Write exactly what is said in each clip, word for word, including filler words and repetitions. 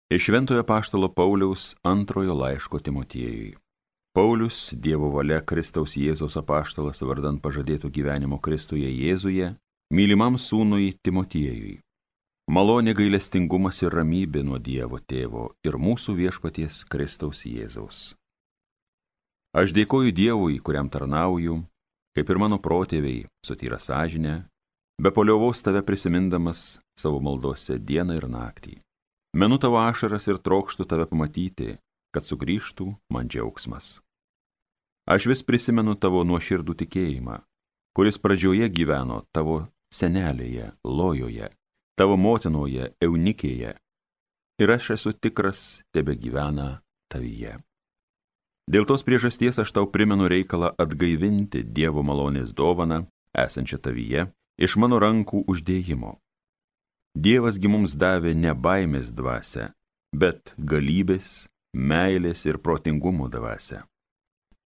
Iš Šventojo apaštalo Pauliaus antrojo laiško Timotiejui. Paulius, Dievo valia Kristaus Jėzaus apaštalas vardan pažadėto gyvenimo Kristuje Jėzuje, mylimam sūnui Timotiejui. Malonė, gailestingumas ir ramybė nuo Dievo Tėvo ir mūsų viešpaties Kristaus Jėzaus. Aš dėkoju Dievui, kuriam tarnauju, kaip ir mano protėviai, su tyra sąžine, be paliovos tave prisimindamas savo maldose dieną ir naktį. Menu tavo ašaras ir trokštu tave pamatyti, kad sugrįžtų man džiaugsmas. Aš vis prisimenu tavo nuoširdų tikėjimą, kuris pradžioje gyveno tavo senelėje, Lojoje, tavo motinoje, Eunikėje, ir aš esu tikras, tebe gyvena tavyje. Dėl tos priežasties aš tau primenu reikalą atgaivinti Dievo malonės dovaną, esančią tavyje, iš mano rankų uždėjimo. Dievasgi mums davė ne baimės dvasią, bet galybės, meilės ir protingumo dvasią.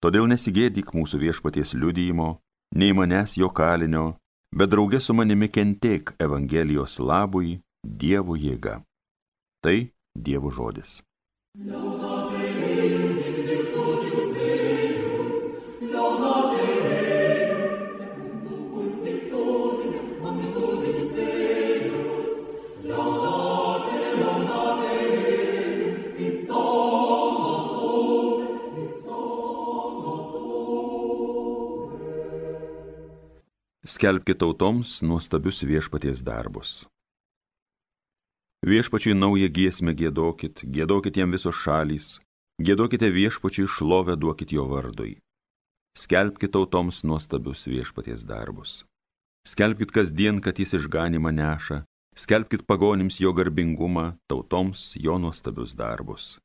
Todėl nesigėdyk mūsų viešpaties liudijimo, nei manęs jo kalinio, bet drauge su manimi kentėk Evangelijos labui Dievo jėga. Tai Dievo žodis. Skelbkite tautoms nuostabius viešpaties darbus. Viešpačiui naują giesmę giedokit, giedokit jam visos šalys, giedokite viešpačiui šlovę duokit jo vardui. Skelbkite tautoms nuostabius viešpaties darbus. Skelbkit kasdien, kad jis išganymą neša, skelbkit pagonims jo garbingumą, tautoms jo nuostabius darbus.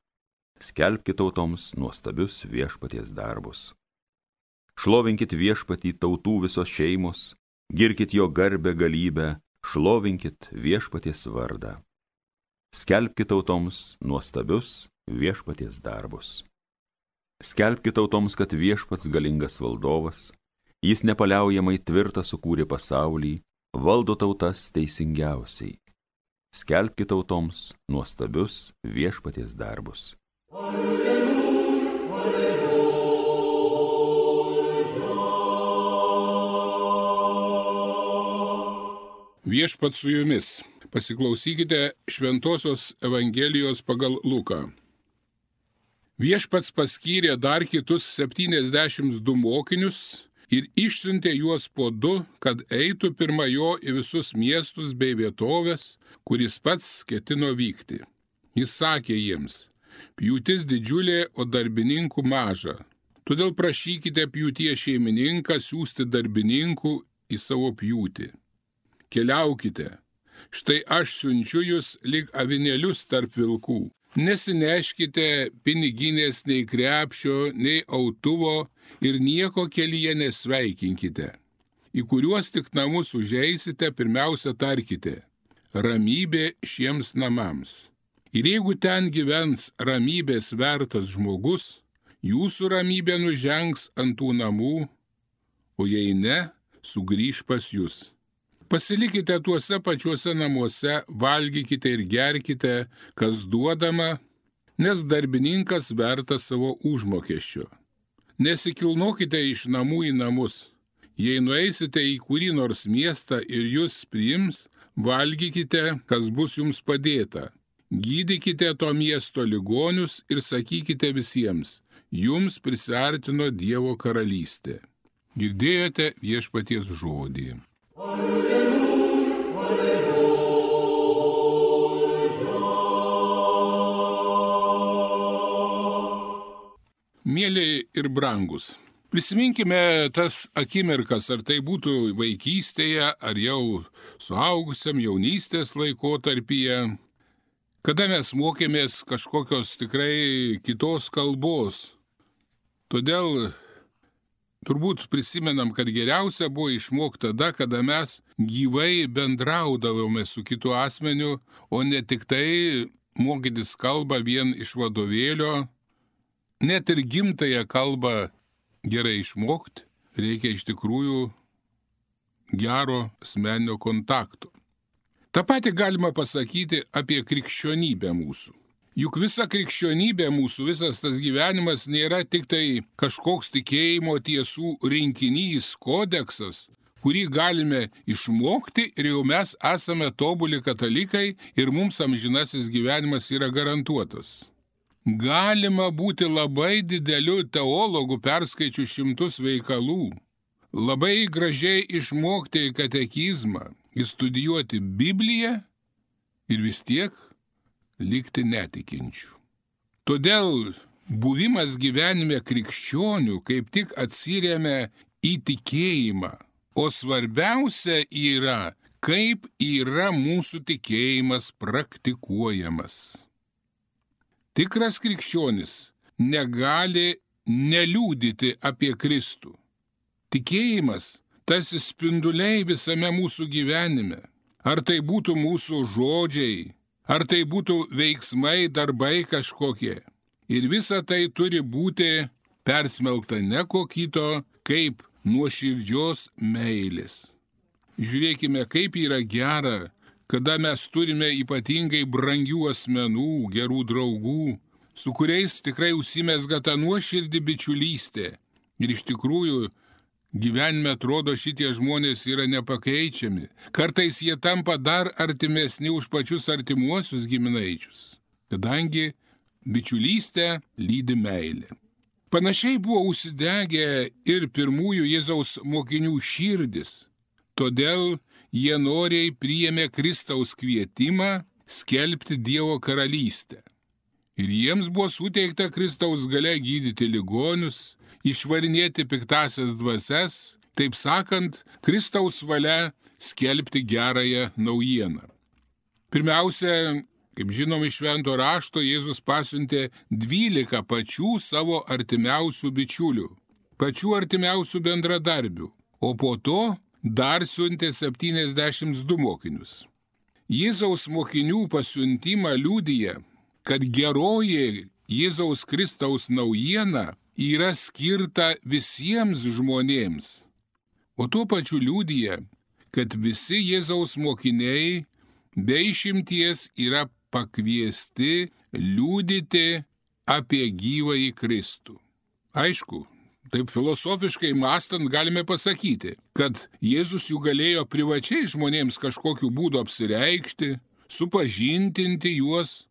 Skelbkite tautoms nuostabius viešpaties darbus. Šlovinkit viešpatį tautų visos šeimos, girkit jo garbę galybę, šlovinkit viešpaties vardą. Skelbkit tautoms nuostabius viešpaties darbus. Skelbkit tautoms, kad viešpats galingas valdovas, jis nepaliaujamai tvirtą sukūrė pasaulį, valdo tautas teisingiausiai. Skelbkit tautoms nuostabius viešpaties darbus. Alleluja, alleluja. Viešpat su jumis. Pasiklausykite Šventosios Evangelijos pagal Luką. Viešpats paskyrė dar kitus septyniasdešimt du mokinius ir išsiuntė juos po du, kad eitų pirma jo į visus miestus bei vietovės, kuris pats ketino vykti. Jis sakė jiems: pjūtis didžiulė, o darbininkų maža. Todėl prašykite pjūties šeimininką siųsti darbininkų į savo pjūtį. Keliaukite, štai aš siunčiu jūs lyg avinėlius tarp vilkų. Nesineškite piniginės nei krepšio, nei autuvo ir nieko kelyje nesveikinkite. Į kuriuos tik namus užeisite, pirmiausia tarkite: ramybė šiems namams. Ir jeigu ten gyvens ramybės vertas žmogus, jūsų ramybė nužengs ant tų namų, o jei ne, sugrįš pas jūs. Pasilikite tuose pačiuose namuose, valgykite ir gerkite, kas duodama, nes darbininkas vertas savo užmokesčio. Nesikilnokite iš namų į namus. Jei nueisite į kurį nors miestą ir jūs priims, valgykite, kas bus jums padėta. Gydykite to miesto ligonius ir sakykite visiems: jums prisiartino Dievo karalystė. Girdėjote viešpaties žodį. Alleluja, alleluja. Mėly ir brangus, prisiminkime tas akimirkas, ar tai būtų vaikystėje, ar jau suaugusiam jaunystės laikotarpyje, kada mes mokėmės kažkokios tikrai kitos kalbos. Todėl turbūt prisimenam, kad geriausia buvo išmokti tada, kada mes gyvai bendraudavome su kitu asmeniu, o ne tik tai mokytis kalbą vien iš vadovėlio. Net ir gimtąją kalbą gerai išmokti reikia iš tikrųjų gero asmeninio kontakto. Ta pati galima pasakyti apie krikščionybę mūsų. Juk visa krikščionybė mūsų, visas tas gyvenimas nėra tik tai kažkoks tikėjimo tiesų rinkinys, kodeksas, kurį galime išmokti ir jau mes esame tobuli katalikai ir mums amžinasis gyvenimas yra garantuotas. Galima būti labai dideliu teologu, perskaičiu šimtus veikalų, labai gražiai išmokti katekizmą, įstudijuoti Bibliją ir vis tiek likti netikinčių. Todėl buvimas gyvenime krikščionių kaip tik atsiremia į tikėjimą, o svarbiausia yra, kaip yra mūsų tikėjimas praktikuojamas. Tikras krikščionis negali neliūdyti apie Kristų. Tikėjimas tarsi spinduliai visame mūsų gyvenime. Ar tai būtų mūsų žodžiai, ar tai būtų veiksmai, darbai kažkokie. Ir visa tai turi būti persmelkta ne ko kito, kaip nuoširdžios meilės. Žiūrėkime, kaip yra gera, kada mes turime ypatingai brangių asmenų, gerų draugų, su kuriais tikrai užsimezga ta nuoširdi bičiulystė. Ir iš tikrųjų gyvenime atrodo šitie žmonės yra nepakeičiami. Kartais jie tampa dar artimesni už pačius artimuosius giminaičius, kadangi bičiulystę lydi meilė. Panašiai buvo užsidegę ir pirmųjų Jėzaus mokinių širdis, todėl jie noriai priėmė Kristaus kvietimą skelbti Dievo karalystę. Ir jiems buvo suteikta Kristaus galia gydyti ligonius, išvarinėti piktasias dvasias, taip sakant, Kristaus valia skelbti gerąją naujieną. Pirmiausia, kaip žinom iš Švento rašto, Jėzus pasiuntė dvylika pačių savo artimiausių bičiulių, pačių artimiausių bendradarbių, o po to dar siuntė septyniasdešimt du mokinius. Jėzaus mokinių pasiuntimą liudija, kad geroji Jėzaus Kristaus naujiena yra skirta visiems žmonėms, o tuo pačiu liudija, kad visi Jėzaus mokiniai be išimties yra pakviesti liudyti apie gyvąjį Kristų. Aišku, taip filosofiškai mąstant galime pasakyti, kad Jėzus jų galėjo privačiai žmonėms kažkokiu būdu apsireikšti, supažintinti juos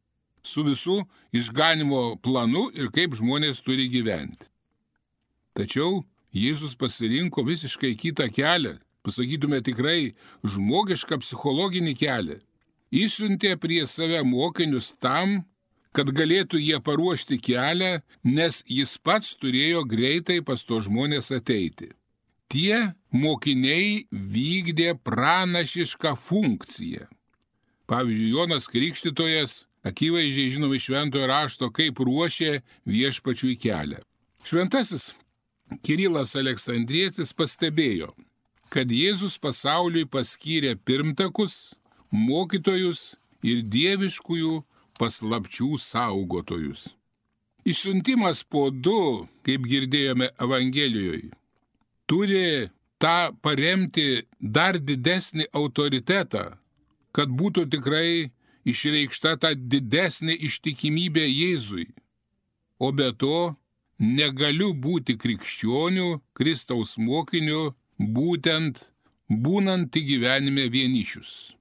su visų išganimo planu ir kaip žmonės turi gyventi. Tačiau Jėzus pasirinko visiškai kitą kelią, pasakytume tikrai žmogišką psichologinį kelią. Išsiuntė prie save mokinius tam, kad galėtų jie paruošti kelią, nes jis pats turėjo greitai pas to žmonės ateiti. Tie mokiniai vykdė pranašišką funkciją. Pavyzdžiui, Jonas Krikštytojas akivaizdžiai žinom iš Šventojo rašto, kaip ruošė viešpačiui kelią. Šventasis Kirilas Aleksandrietis pastebėjo, kad Jėzus pasauliui paskyrė pirmtakus, mokytojus ir dieviškųjų paslapčių saugotojus. Išsiuntimas po du, kaip girdėjome Evangelijoje, turi tą paremti dar didesnį autoritetą, kad būtų tikrai išreikšta ta didesnė ištikimybė Jėzui. O be to, negaliu būti krikščioniu, Kristaus mokiniu, būtent būnant gyvenime vienišius.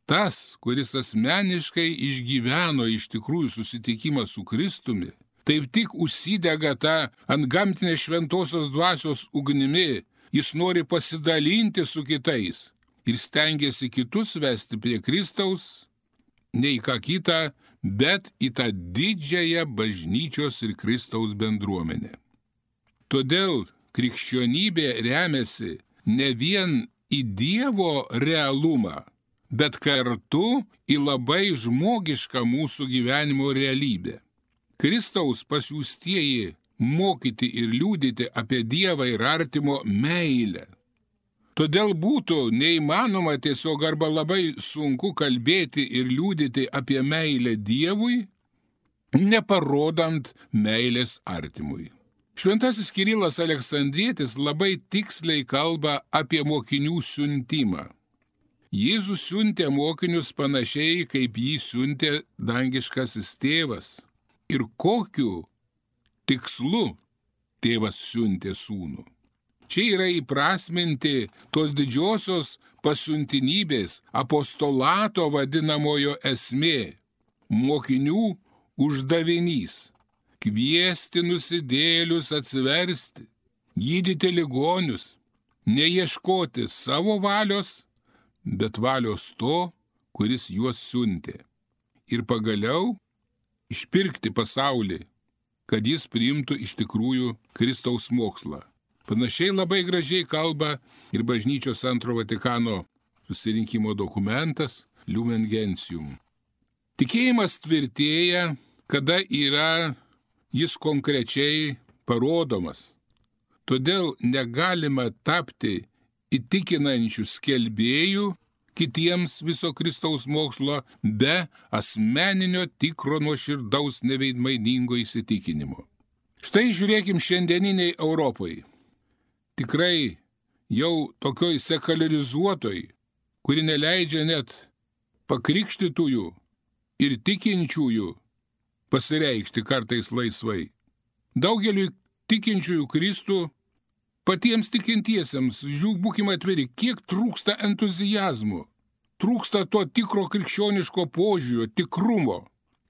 Tas, kuris asmeniškai išgyveno iš tikrųjų susitikimą su Kristumi, taip tik užsidega tą antgamtinę šventosios dvasios ugnimi, jis nori pasidalinti su kitais ir stengiasi kitus vesti prie Kristaus, ne į ką kitą, bet į tą didžiąją bažnyčios ir Kristaus bendruomenę. Todėl krikščionybė remiasi ne vien į Dievo realumą, bet kartu į labai žmogišką mūsų gyvenimo realybę. Kristaus pasiųstieji mokyti ir liudyti apie Dievą ir artimo meilę. Todėl būtų neįmanoma tiesiog arba labai sunku kalbėti ir liudyti apie meilę Dievui, neparodant meilės artimui. Šventasis Kirilas Aleksandrietis labai tiksliai kalba apie mokinių siuntimą. Jėzus siuntė mokinius panašiai, kaip jį siuntė dangiškasis tėvas. Ir kokiu tikslu tėvas siuntė sūnų. Čia yra įprasminti tos didžiosios pasiuntinybės, apostolato vadinamojo esmė, mokinių uždavinys – kviesti nusidėlius atsiversti, gydyti ligonius, neieškoti savo valios, bet valios to, kuris juos siuntė. Ir pagaliau išpirkti pasaulį, kad jis priimtų iš tikrųjų Kristaus mokslą. Panašiai labai gražiai kalba ir bažnyčios antro Vatikano susirinkimo dokumentas Lumen Gentium. Tikėjimas tvirtėja, kada yra jis konkrečiai parodomas. Todėl negalima tapti įtikinančių skelbėjų kitiems viso Kristaus mokslo be asmeninio tikro nuoširdaus neveidmainingo įsitikinimo. Štai žiūrėkim šiandieniniai Europai. Tikrai jau tokioj sekularizuotoj, kuri neleidžia net pakrikštytųjų ir tikinčiųjų pasireikšti kartais laisvai. Daugeliui tikinčiųjų Kristų, patiems tikintiesiems, žiūrėk, būkime atviri, kiek trūksta entuzijazmo, trūksta to tikro krikščioniško požiūrio, tikrumo,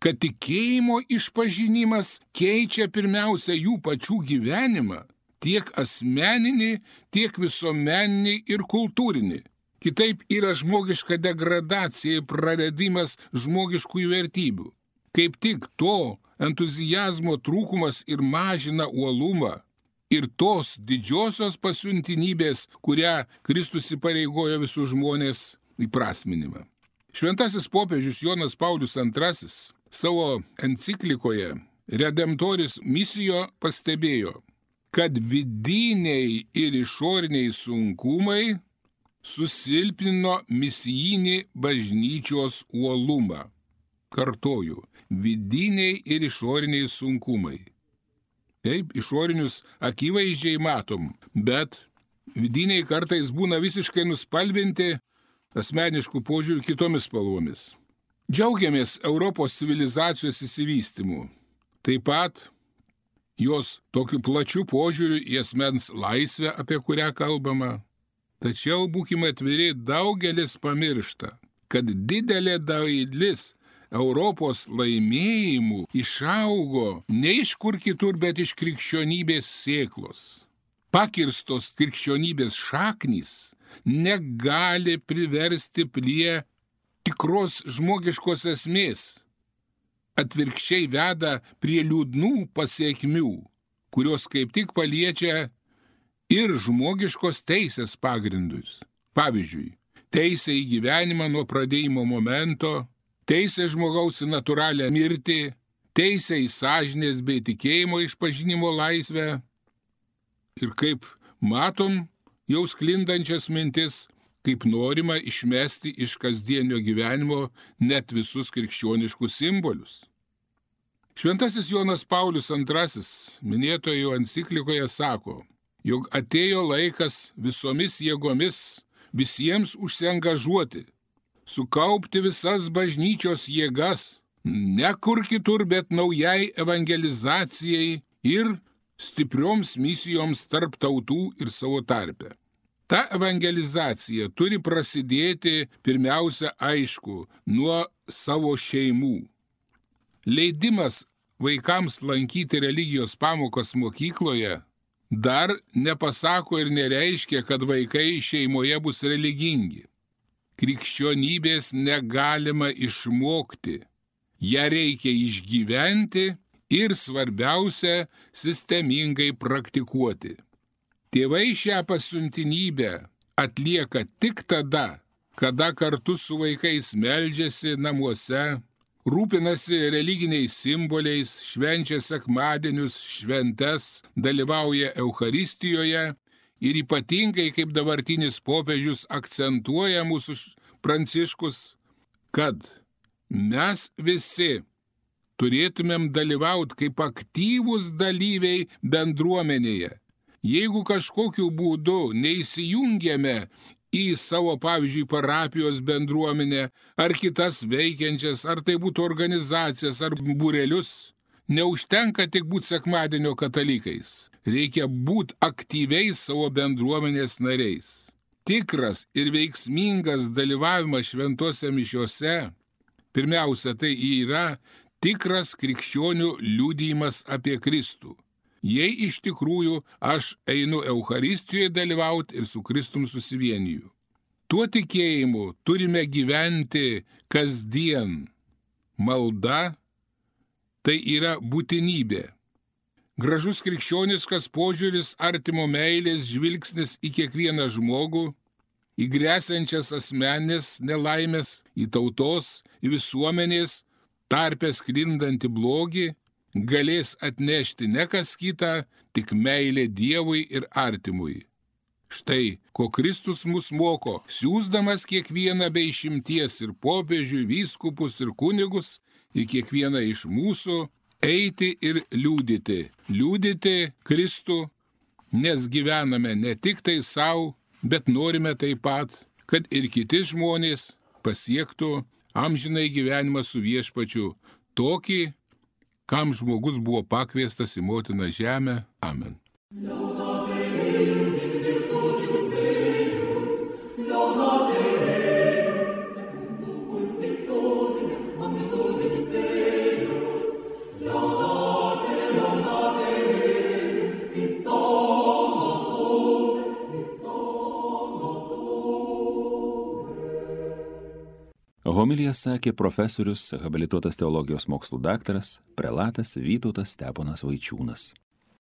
kad tikėjimo išpažinimas keičia pirmiausia jų pačių gyvenimą, tiek asmeninį, tiek visuomeninį ir kultūrinį. Kitaip yra žmogiška degradacija ir praradimas žmogiškųjų vertybių. Kaip tik to entuzijazmo trūkumas ir mažina uolumą ir tos didžiosios pasiuntinybės, kurią Kristus įpareigojo visus žmonės įprasminimą. Šventasis popiežius Jonas Paulius antrasis savo enciklikoje Redemptoris Missio pastebėjo, kad vidiniai ir išoriniai sunkumai susilpnino misijinį bažnyčios uolumą. Kartoju, vidiniai ir išoriniai sunkumai. Taip, išorinius akivaizdžiai matom, bet vidiniai kartais būna visiškai nuspalvinti asmeniškų požiūrių kitomis spalvomis. Džiaugiamės Europos civilizacijos įsivystymu. Taip pat jos tokiu plačiu požiūriu į asmens laisvę, apie kurią kalbama. Tačiau būkime atviri, daugelis pamiršta, kad didelė dalis Europos laimėjimų išaugo ne iš kur kitur, bet iš krikščionybės sėklos. Pakirstos krikščionybės šaknys negali priversti prie tikros žmogiškos esmės. Atvirkščiai veda prie liūdnų pasiekmių, kurios kaip tik paliečia ir žmogiškos teisės pagrindus. Pavyzdžiui, teisė į gyvenimą nuo pradėjimo momento, teisė žmogaus į natūralią mirtį, teisė į sąžinės bei tikėjimo išpažinimo laisvę. Ir kaip matom, jau sklindančias mintis, kaip norima išmesti iš kasdienio gyvenimo net visus krikščioniškus simbolius. Šventasis Jonas Paulius antrasis minėtojo enciklikoje sako, jog atėjo laikas visomis jėgomis visiems užsiangažuoti, sukaupti visas bažnyčios jėgas, ne kur kitur, bet naujai evangelizacijai ir stiprioms misijoms tarp tautų ir savo tarpe. Ta evangelizacija turi prasidėti pirmiausia, aišku, nuo savo šeimų. Leidimas vaikams lankyti religijos pamokas mokykloje dar nepasako ir nereiškia, kad vaikai šeimoje bus religingi. Krikščionybės negalima išmokti, ją reikia išgyventi ir svarbiausia, sistemingai praktikuoti. Tėvai šią pasiuntinybę atlieka tik tada, kada kartu su vaikais meldžiasi namuose, rūpinasi religiniais simboliais, švenčia sekmadienius, šventes, dalyvauja Eucharistijoje ir ypatingai, kaip dabartinis popiežius akcentuoja mūsų Pranciškus, kad mes visi turėtumėm dalyvauti kaip aktyvūs dalyviai bendruomenėje. Jeigu kažkokiu būdu neįsijungiame į savo, pavyzdžiui, parapijos bendruomenę, ar kitas veikiančias, ar tai būtų organizacijas, ar būrelius. Neužtenka tik būti sekmadienio katalikais. Reikia būti aktyviais savo bendruomenės nariais. Tikras ir veiksmingas dalyvavimas šventose mišiose, pirmiausia, tai yra tikras krikščionių liudijimas apie Kristų. Jei iš tikrųjų aš einu Eucharistijoje dalyvauti ir su Kristum susivieniju. Tuo tikėjimu turime gyventi kasdien. Malda tai yra būtinybė. Gražus krikščioniškas požiūris, artimo meilės žvilgsnis į kiekvieną žmogų, į gresiančias asmenės nelaimės, į tautos, į visuomenės tarpe sklindantį blogį, galės atnešti ne kas kita, tik meilė Dievui ir artimui. Štai, ko Kristus mus moko, siųsdamas kiekvieną be išimties ir popiežių, vyskupus ir kunigus, į kiekvieną iš mūsų eiti ir liudyti. Liudyti Kristų, nes gyvename ne tik tai savo, bet norime taip pat, kad ir kiti žmonės pasiektų amžinai gyvenimą su Viešpačiu, tokį, kam žmogus buvo pakviestas į motiną žemę. Amen. Homiliją sakė profesorius, habilituotas teologijos mokslų daktaras, prelatas Vytautas Steponas Vaičiūnas.